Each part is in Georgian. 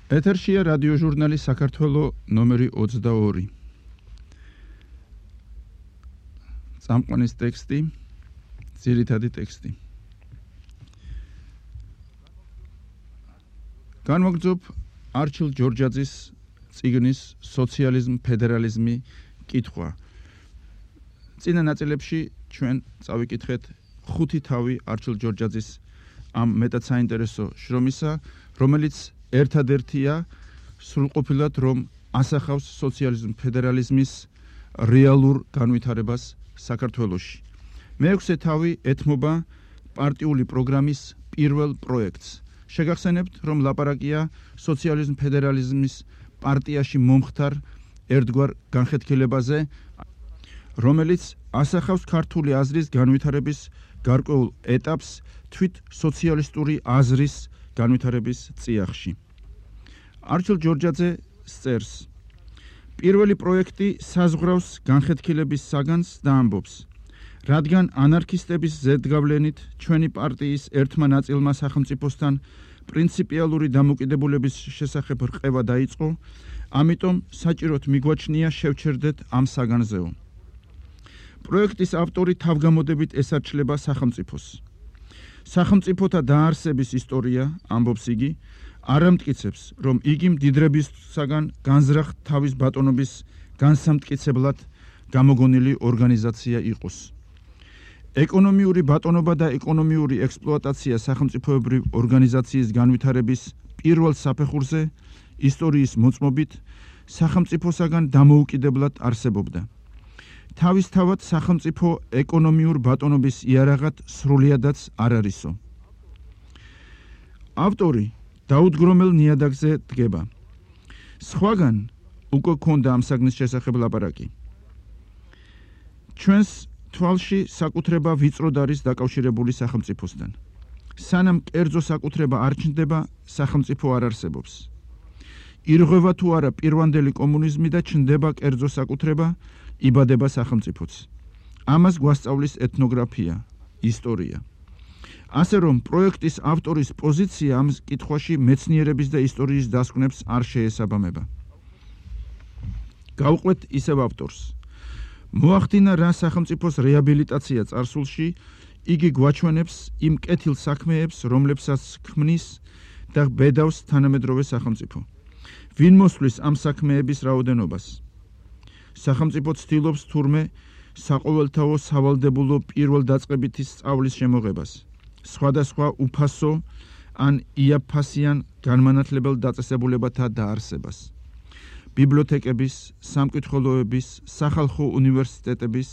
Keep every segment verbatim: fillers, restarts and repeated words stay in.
ეთერშია რადიო ჟურნალი საქართველო ნომერი ოცდაორი. წამყვანის ტექსტი, ძირითადი ტექსტი. განმოგძობ არჩილ ჯორჯაძის წიგნის სოციალიზმ, ფედერალიზმი კითხვა. წინა ნაწილებში ჩვენ წავიკითხეთ ხუთი თავი არჩილ ჯორჯაძის ამ მეტად საინტერესო შრომისა, რომელიც ერთადერთია სრულყოფილად რომ ასახავს სოციალიზმ, ფედერალიზმის რეალურ განვითარებას საქართველოში. მეექვსე თავი ეთმობა პარტიული პროგრამის პირველ პროექტს. შეგახსენებთ, რომ ლაპარაკია სოციალიზმ, ფედერალიზმის პარტიაში მომხდარ ერთგვარ განხეთქილებაზე, რომელიც ასახავს ქართული აზრის განვითარების გარკვეულ ეტაპს თვით სოციალისტური აზრის განვითარების წიაღში. არჩილ ჯორჯაძე წერს: პირველი პროექტი საზღვრავს განხეთქილების საგანს და ამბობს, რადგან ანარქისტების ზედგავლენით ჩვენი პარტიის ერთმა ნაწილმა სახელმწიფოსთან პრინციპიალური დამოკიდებულების შესახებ რყევა დაიწყო, ამიტომ საჭიროდ მიგვაჩნია შევჩერდეთ ამ საგანზეო. პროექტის ავტორი თავგამოდებით ესარჩლება სახელმწიფოს. სახელმწიფოთა დაარსების ისტორია, ამბობს იგი, არ ამტკიცებს, რომ იგი მდიდრებისაგან განზრახ თავის ბატონობის განსამტკიცებლად გამოგონილი ორგანიზაცია იყოს. ეკონომიური ბატონობა და ეკონომიური ექსპლუატაცია სახელმწიფოებრივ ორგანიზაციის განვითარების პირველ საფეხურზე ისტორიის მოწმობით სახელმწიფოსაგან დამოუკიდებლად არსებობდა. თავისთავად სახელმწიფო ეკონომიურ ბატონობის იარაღად სრულიადაც არ არისო. ავტორი დაუდგრომელ ნიადაგზე დგება. სხვაგან უკვე ქონდა ამ საგნის შესახებ ლაპარაკი. ჩვენს თვალში საკუთრება ვიწროდ არის დაკავშირებული სახელმწიფოსთან. სანამ კერძო საკუთრება არ ჩნდება, სახელმწიფო არ არსებობს. ირღვევა თუ არა პირვანდელი კომუნიზმი და ჩნდება კერძო საკუთრება, იბადება სახელმწიფოც. ამას გვასწავლის ეთნოგრაფია, ისტორია. ასე რომ პროექტის ავტორის პოზიცია ამ კითხვაში მეცნიერების და ისტორიის დასკვნებს არ შეესაბამება. გავყვეთ ისევ ავტორს. მოახდინა რა სახელმწიფოს რეაბილიტაცია წარსულში, იგი გვაჩვენებს იმ კეთილ საქმეებს, რომლებსაც ქმნის და ბედავს თანამედროვე სახელმწიფო. ვინ მოსვლის ამ საქმეების რაოდენობას? სახელმწიფო ცდილობს თურმე საყოველთაო სავალდებულო პირველ დაწყებითი სწავლის შემოღებას, სხვადასხვა უფასო ან იაფფასიან განმანათლებელ დაწესებულებათა დაარსებას, ბიბლიოთეკების, სამკითხველოების, სახალხო უნივერსიტეტების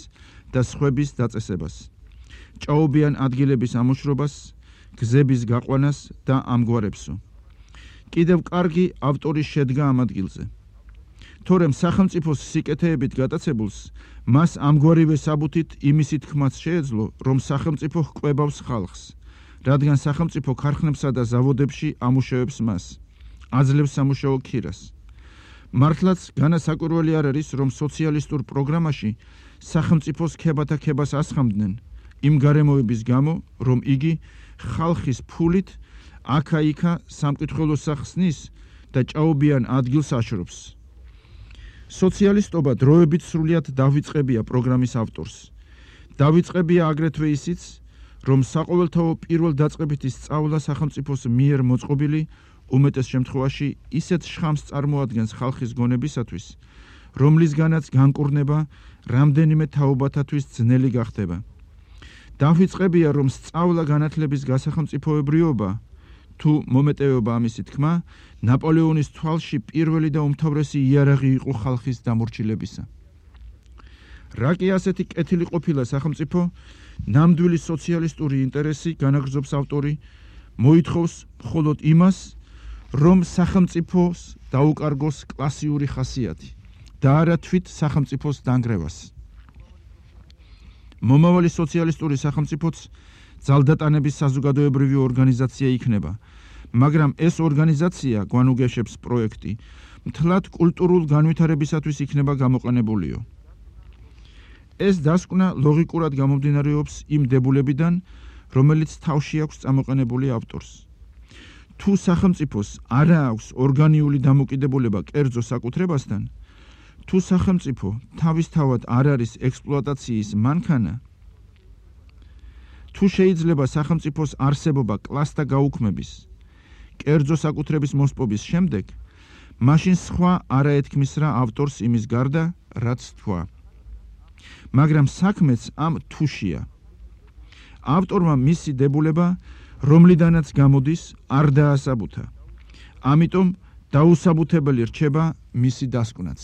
და სხვების დაწესებას, ჭაობიან ადგილების ამოშრობას, გზების გაყვანას და ამგვარებსო. კიდევ კარგი ავტორის შედგა ამ ადგილზე. თორემ სახელმწიფოს სიკეთეებით გატაცებულს მას ამგვარივე საბუთით იმისი თქმაც შეეძლო, რომ სახელმწიფო ჰკვებავს ხალხს, რადგან სახელმწიფო ქარხნებსა და ზავოდებში ამუშავებს მას, აძლევს სამუშაო ქირას. მართლაც განასაკვირველი არ არის, რომ სოციალისტურ პროგრამაში სახელმწიფოს ქებათა ქებას ასხამდნენ, იმ გარემოების გამო, რომ იგი ხალხის ფულით აქა-იქა სამკითხველო სახსნის და ჭაობიან ადგილს აშრობს. სოციალისტობა დროებით სრულიად დავიწყებია პროგრამის ავტორს. დავიწყებია აგრეთვე ისიც, რომ საყოველთაო პირველ დაწყებითი სწავლა სახელმწიფოს მიერ მოწყობილი უმეტეს შემთხვევაში ისეთ შხამს წარმოადგენს ხალხის გონებისათვის, რომლისგანაც განკურნება რამდენიმე თაობათათვის ძნელი გახდება. დავიწყებია, რომ სწავლა განათლების გასახელმწიფოებრიობა თუ მომეტევება ამისი თქმა, ნაპოლეონის თვალში პირველი და უმთავრესი იარაღი იყო ხალხის დამორჩილებისა. რა კი ასეთი კეთილი ყოფილა სახელმწიფო, ნამდვილი სოციალისტური ინტერესი, განაგრძობს ავტორი, მოითხოვს მხოლოდ იმას, რომ სახელმწიფოს დაუკარგოს კლასიური ხასიათი და არა თვით სახელმწიფოს დანგრევას. მომავალი სოციალისტური სახელმწიფოც ძალდატანების საზოგადოებრივი ორგანიზაცია იქნება, მაგრამ ეს ორგანიზაცია, გვანუგეშებს პროექტი, მთლად კულტურულ განვითარებისათვის იქნება გამოყენებულიო. ეს დასკვნა ლოგიკურად გამომდინარეობს იმ დებულებიდან, რომელიც თავში აქვს წამოყენებული ავტორს. თუ სახელმწიფოს არა აქვს ორგანიული დამოკიდებულება კერძო საკუთრებასთან, თუ სახელმწიფო თავისთავად არ არის ექსპლუატაციის მანქანა, თუ შეიძლება სახელმწიფოს არსებობა კლასთა გაუქმების, კერძო საკუთრების მოსპობის შემდეგ, მაშინ სხვა არაეთქმის რა ავტორს იმის გარდა, რაც თქვა. მაგრამ საქმეც ამ თუშია. ავტორმა მისი დებულება, რომლიდანაც გამოდის, არ დაასაბუთა. ამიტომ დაუსაბუთებელი რჩება მისი დასკვნაც.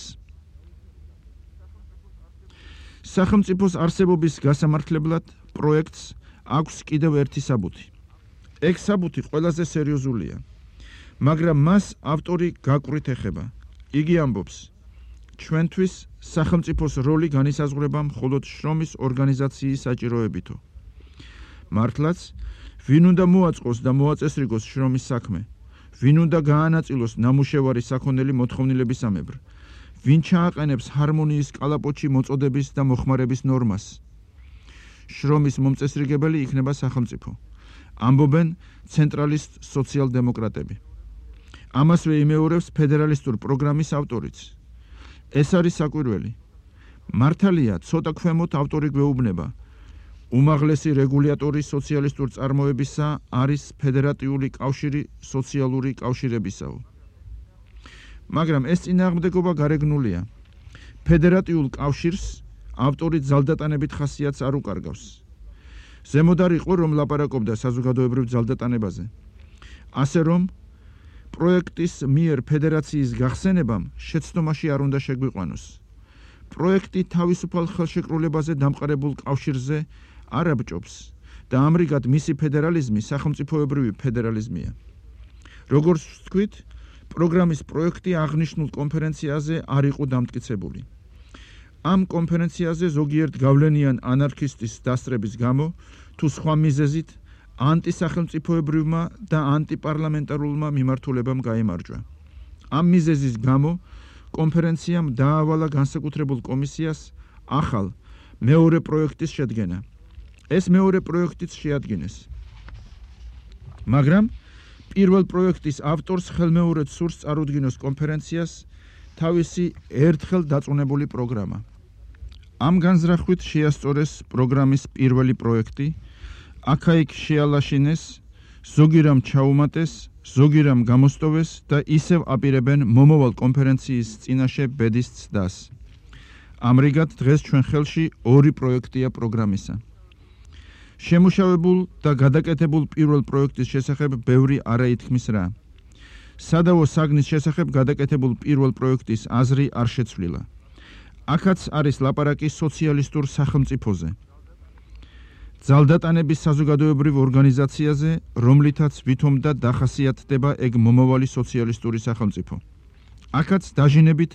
სახელმწიფოს არსებობის გასამართლებლად პროექტს აქვს კიდევ ერთი საბუთი. ეგ საბუთი ყველაზე სერიოზულია, მაგრამ მას ავტორი გაკვირით ეხება. იგი ამბობს, ჩვენთვის სახელმწიფოს როლი განისაზღვრება მხოლოდ შრომის ორგანიზაციის საჭიროებითო. მართლაც, ვინ უნდა მოაწყოს და მოაწესრიგოს შრომის საქმე, ვინ უნდა გაანაწილოს ნამუშევარი საქონელი მოთხოვნილებისამებრ, ვინ ჩააყენებს ჰარმონიის კალაპოჩი მოწოდების და მოხმარების ნორმას. შრომის მომწესრიგებელი იქნება სახელმწიფო. ამბობენ ცენტრალისტ სოციალ-დემოკრატები. ამასვე იმეორებს ფედერალისტურ პროგრამის ავტორიც. ეს არის საკვირველი. მართალია, ცოტა ქვემოთ ავტორი გვეუბნება, უმაღლესი რეგულატორი სოციალისტურ წარმოებისა არის ფედერატიული კავშირი სოციალური კავშირებისაო. მაგრამ ეს წინააღმდეგობა გარეგნულია. ფედერატიულ კავშირს ავტორი ძალდატანებით ხასიათს არ უკარგავს. ზემოთ არ იყო, რომ ლაპარაკობდა საზოგადოებრივ ძალდატანებაზე. ასე რომ, პროექტის მიერ ფედერაციის გახსენებამ შეცდომაში არ უნდა შეგვიყვანოს. პროექტი თავისუფალ ხელშეკრულებაზე დამყარებულ კავშირზე არ აბჭობს და ამრიგად მისი ფედერალიზმი სახელმწიფოებრივი ფედერალიზმია. როგორც ვთქვით, პროგრამის პროექტი აღნიშნულ კონფერენციაზე არ იყო დამტკიცებული. ამ კონფერენციაზე ზოგიერთ გავლენიან ანარქისტის დასწრების გამო თუ სხვა მიზეზით ანტისახელმწიფოებრივმა და ანტიპარლამენტარულმა მიმართულებამ გაიმარჯვა. ამ მიზეზის გამო კონფერენციამ დაავალა განსაკუთრებულ კომისიას ახალ მეორე პროექტის შედგენა. ეს მეორე პროექტიც შეადგინეს. მაგრამ პირველ პროექტის ავტორს ხელმეორედ სურს წარუდგინოს კონფერენციას თავისი ერთხელ დაწუნებული პროგრამა. ამ განზრახვით შეასწორეს პროგრამის პირველი პროექტი, აქა-იქ შეალაშინეს, ზოგი რამ ჩაუმატეს, ზოგი რამ გამოსტოვეს და ისევ აპირებენ მომავალ კონფერენციის წინაშე ბედის ცდას. ამრიგად დღეს ჩვენ ხელში ორი პროექტია პროგრამისა. შემუშავებულ და გადაკეთებულ პირველ პროექტის შესახებ ბევრი არაითქმის რა. სადავო საგნის შესახებ გადაკეთებულ პირველ პროექტის აზრი არ შეცვლილა. აქაც არის ლაპარაკი სოციალისტურ სახელმწიფოზე. ძალდატანების საზოგადოებრივ ორგანიზაციაზე, რომლითაც ვითომ და დახასიათდება ეგ მომავალი სოციალისტური სახელმწიფო. აქაც დაჟინებით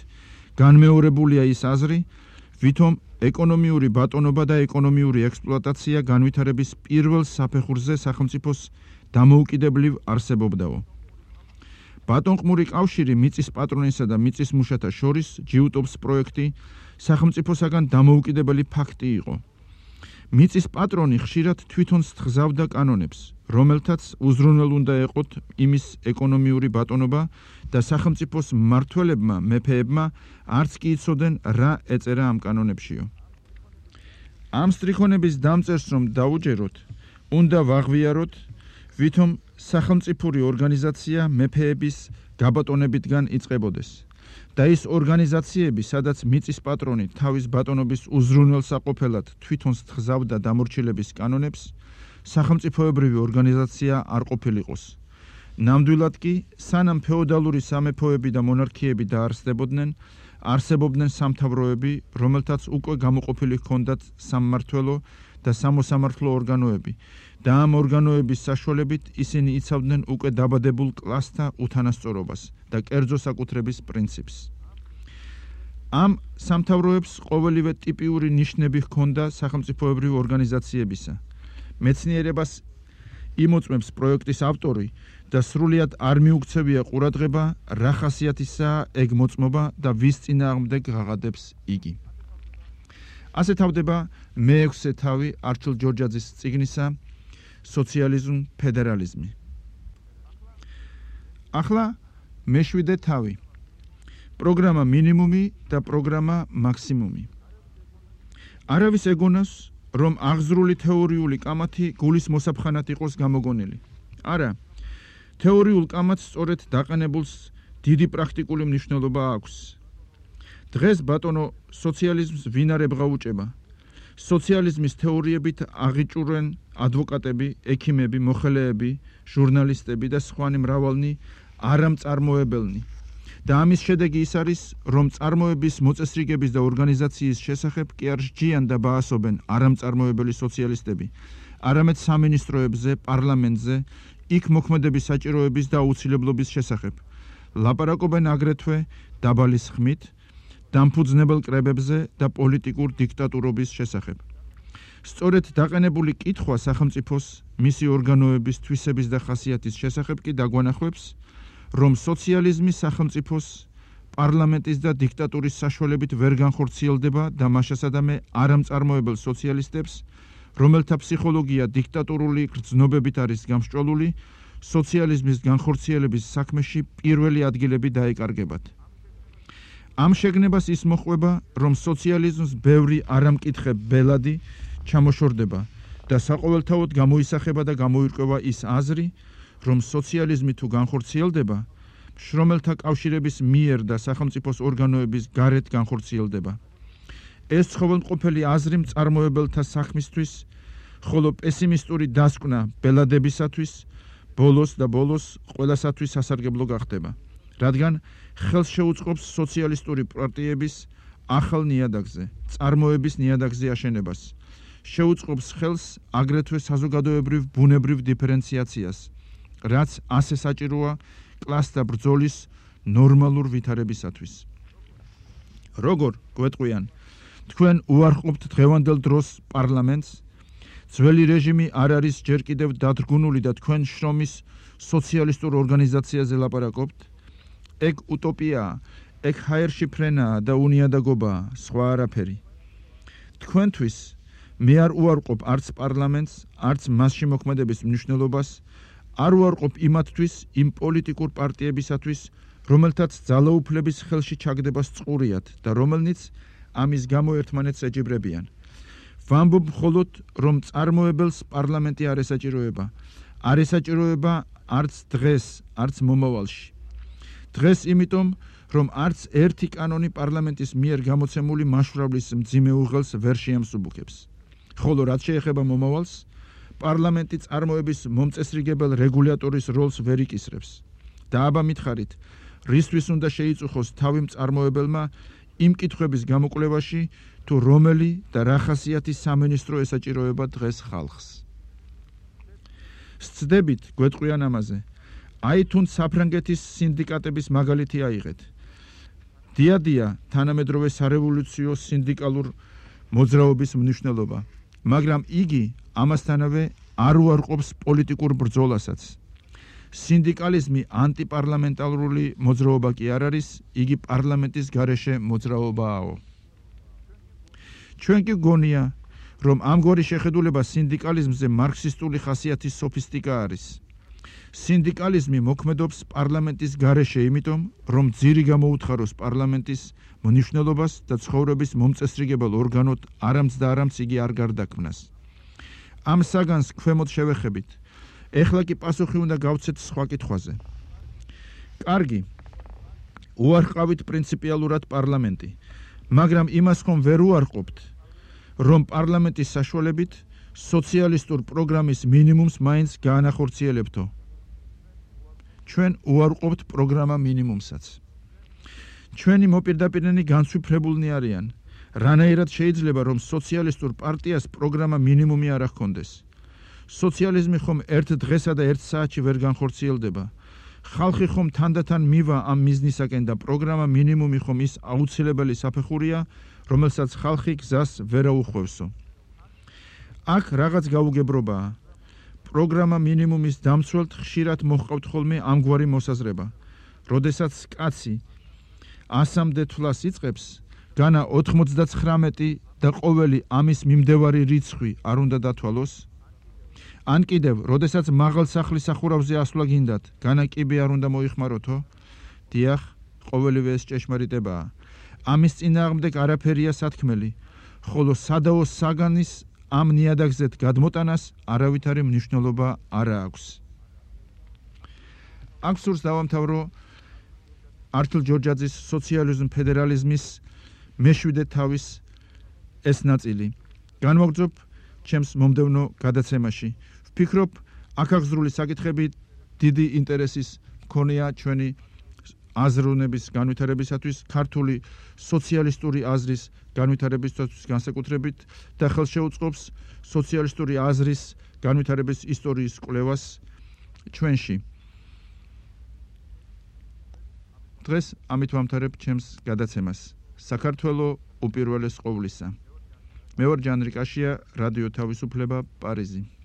განმეორებულია ის აზრი, ვითომ ეკონომიური ბატონობა და ეკონომიური ექსპლუატაცია განვითარების პირველ საფეხურზე სახელმწიფოს დამოუკიდებლივ არსებობდაო. ბატონყმური კავშირი მიწის პატრონისა და მიწის მუშათა შორის ჯიუტობს პროექტი სახელმწიფოსაგან დამოუკიდებელი ფაქტი იყო. მიწის პატრონი ხშირად თვითონ სთხზავდა კანონებს, რომელთაც უზრუნველ უნდა ეყოთ იმის ეკონომიური ბატონობა და სახელმწიფოს მმართველებმა, მეფეებმა არც კი იცოდნენ რა ეწერა ამ კანონებშიო. ამ სტრიქონების დამწერს რომ დაუჯეროთ, უნდა ვაღვიაროთ, ვითომ სახელმწიფური ორგანიზაცია მეფეების გაბატონებიდან იწყებოდეს და ის ორგანიზაციები, სადაც მიწის პატრონი თავის ბატონობის უზრუნველსაყოფელად თვითონ სთხზავდა დამორჩილების კანონებს, სახელმწიფოებრივი ორგანიზაცია არ ყოფილიყოს. ნამდვილად კი, სანამ ფეოდალური სამეფოები და მონარქიები დაარსდებოდნენ, არსებობდნენ სამთავროები, რომელთაც უკვე გამოყოფილი ჰქონდათ სამმართველო და სამოსამართლო ორგანოები და ამ ორგანოების საშუალებით ისინი იცავდნენ უკვე დაბადებულ კლასთა უთანასწორობას და კერძო საკუთრების პრინციპს. ამ სამთავროებს ყოველივე ტიპიური ნიშნები ჰქონდა სახელმწიფოებრივი ორგანიზაციებისა. მეცნიერებას იმოწმებს პროექტის ავტორი და სრულიად არ მიუქცევია ყურადღება, რა ხასიათისაა ეგ მოწმობა და ვის წინააღმდეგ ღაღადებს იგი. ასე თავდება მეექვსე თავი არჩილ ჯორჯაძის წიგნისა სოციალიზმ, ფედერალიზმი. ახლა მეშვიდე თავი. პროგრამა მინიმუმი და პროგრამა მაქსიმუმი. არავის ეგონავს, რომ აღზრული თეორიული კამათი გულის მოსაფხანად იყოს გამოგონილი. არა, თეორიულ კამათს სწორედ დაყენებულს დიდი პრაქტიკული მნიშვნელობა აქვს. დღეს ბატონო სოციალიზმს ვინ არ ებღაუჭება? სოციალიზმის თეორიებით აღიჭურვენ ადვოკატები, ექიმები, მოხელეები, ჟურნალისტები და სხვანი მრავალნი არამწარმოებელნი. და ამის შედეგი ის არის, რომ წარმოების მოწესრიგების და ორგანიზაციის შესახებ კი არ სჯიან და ბაასობენ არამწარმოებელი სოციალისტები, არამედ სამინისტროებზე, პარლამენტზე, იქ მოქმედების საჭიროების და აუცილებლობის შესახებ. ლაპარაკობენ აგრეთვე დაბალი ხმით, დამფუძნებელ კრებებზე და პოლიტიკურ დიქტატურობის შესახებ. სწორედ დაყენებული კითხვა სახელმწიფოს, მისი ორგანოების თვისების და ხასიათის შესახებ კი დაგვანახებს, რომ სოციალიზმი სახელმწიფოს, პარლამენტის და დიქტატურის საშუალებით ვერ განხორციელდება და მაშასადამე არამწარმოებელ სოციალისტებს, რომელთა ფსიქოლოგია დიქტატურული გრძნობებით არის გამსჭვალული, სოციალიზმის განხორციელების საქმეში პირველი ადგილები დაეკარგებათ. ამ შეგნებას ის მოჰყვება, რომ სოციალიზმს ბევრი არამკითხე ბელადი ჩამოშორდება და საყოველთაოდ გამოისახება და გამოირკვევა ის აზრი, რომ სოციალიზმი თუ განხორციელდება, შრომელთა კავშირების მიერ და სახელმწიფოს ორგანოების გარეთ განხორციელდება. ეს ცხოველმყოფელი აზრი მწარმოებელთა საქმისთვის, ხოლო პესიმისტური დასკვნა ბელადებისათვის, ბოლოს და ბოლოს ყველასათვის სასარგებლო გახდება, რადგან ხელს შეუწყობს სოციალისტური პარტიების ახალ ნიადაგზე, წარმოების ნიადაგზე აშენებას, შეუწყობს ხელს აგრეთვე საზოგადოებრივ ბუნებრივ დიფერენციაციას, რაც ასე საჭიროა კლასთა ბრძოლის ნორმალურ ვითარებისათვის. როგორ გვეტყვიან, თქვენ უარყოფთ დღევანდელ დროს პარლამენტს, ძველი რეჟიმი არ არის ჯერ კიდევ დადგუნული და თქვენ შრომის სოციალისტურ ორგანიზაციაზე ლაპარაკობთ? ეგ უტოპიაა, ეგ ჰაერში ფრენაა და უნიადაგობაა, სხვა არაფერი. თქვენთვის მე არ უარყოფ არც პარლამენტს, არც მასში მოქმედების მნიშვნელობას, არ უარყოფ იმათთვის, იმ პოლიტიკურ პარტიებისათვის, რომელთაც ძალაუფლების ხელში ჩაგდებას წყურიათ და რომელნიც ამის გამო ერთმანეთს ეჯიბრებიან. ვამბობ მხოლოდ, რომ წარმოებელს პარლამენტი არ ესაჭიროება, არ ესაჭიროება არც დღეს, არც მომავალში. დღეს იმიტომ, რომ არც ერთი კანონი პარლამენტის მიერ გამოცემული მაშურავლის მძიმე უღელს ვერ შეამსუბუქებს. ხოლო რაც შეეხება მომავალს, პარლამენტი წარმოების მომწესრიგებელ რეგულატორის როლს ვერ იკისრებს. და აბა მითხარით, რისთვის უნდა შეიწუხოს თავი მწარმოებელმა იმ კითხვების გამოკვლევაში, თუ რომელი და რა ხასიათის სამინისტრო ესაჭიროება დღეს ხალხს. სცდებით გვეტყვიან ამაზე. აი თუნდ საფრანგეთის სინდიკატების მაგალითი აიღეთ. დიადია თანამედროვე სარევოლუციო სინდიკალურ მოძრაობის მნიშვნელობა, მაგრამ იგი ამასთანავე არ უარყოფს პოლიტიკურ ბრძოლასაც. სინდიკალიზმი ანტიპარლამენტარული მოძრაობა კი არ არის, იგი პარლამენტის გარეშე მოძრაობაა. ჩვენ კი გონია, რომ ამგვარი შეხედულება სინდიკალიზმზე მარქსისტული ხასიათის სოფისტიკა არის. სინდიკალიზმი მოქმედობს პარლამენტის გარეშე იმიტომ, რომ ძირი გამოუთხაროს პარლამენტის მნიშვნელობას და ცხოვრების მომწესრიგებელ ორგანოდ არამც და არამც იგი არ გარდაქმნას. ამ საგანს ქვემოთ შევეხებით. ეხლა კი პასუხი უნდა გავცეთ სხვა კითხვაზე. კარგი, უარყავით პრინციპიალურად პარლამენტი, მაგრამ იმას ხომ ვერ უარყოფთ, რომ პარლამენტის საშუალებით სოციალისტურ პროგრამის მინიმუმს მაინც გაანახორციელებთო. ჩვენ უარყოფთ პროგრამა მინიმუმსაც. ჩვენი მოპირდაპირნი განსვიფრებულნი არიან, რანაირად შეიძლება, რომ სოციალისტურ პარტიას პროგრამა მინიმუმი არ ჰქონდეს. სოციალიზმი ხომ ერთ დღესა და ერთ საათში ვერ განხორციელდება. ხალხი ხომ თანდათან მივა ამ მიზნისაკენ და პროგრამა მინიმუმი ხომ ის აუცილებელი საფეხურია, რომელსაც ხალხი გზას ვერ აუხვევსო. აქ რაღაც გაუგებრობაა. პროგრამა მინიმუმის დამცველთ ხშირად მოჰყავთ ხოლმე ამგვარი მოსაზრება. როდესაც კაცი ასამდე თვლას იწყებს, განა ოთხმოცდაცხრამეტი და ყოველი ამის მიმდევარი რიცხვი არ უნდა დათვალოს? ან კიდევ, როდესაც მაღალ სახლის სახურავზე ასვლა გინდათ, განა კიბე არ უნდა მოიხმაროთო? დიახ, ყოველივე ეს ჭეშმარიტებაა. ამის წინააღმდეგ არაფერია სათქმელი, ხოლო სადაო საგანის ამ ნიადაგზეთ გადმოტანას არავითარი მნიშვნელობა არ აქვს. აქ სურს დავამთავრო ართილ ჯორჯაძის სოციალიზმ ფედერალიზმის მეშვიდე თავის ეს ნაწილი. განვაგრძობ ჩემს მომდევნო გადაცემაში. ვფიქრობ, აქაღზრული საკითხები დიდი ინტერესის მქონია ჩვენი აზროვნების განვითარებისათვის, ქართული სოციალისტური აზრის განვითარებისათვის განსაკუთრებით და ხელს შეუწყობს სოციალისტური აზრის განვითარების ისტორიის კვლევას ჩვენში. დღეს ამით ვამთავრებ ჩემს გადაცემას. საქართველო უპირველეს ყოვლისა. მე ვარ ჯანრი კაშია, რადიო თავისუფლება, პარიზი.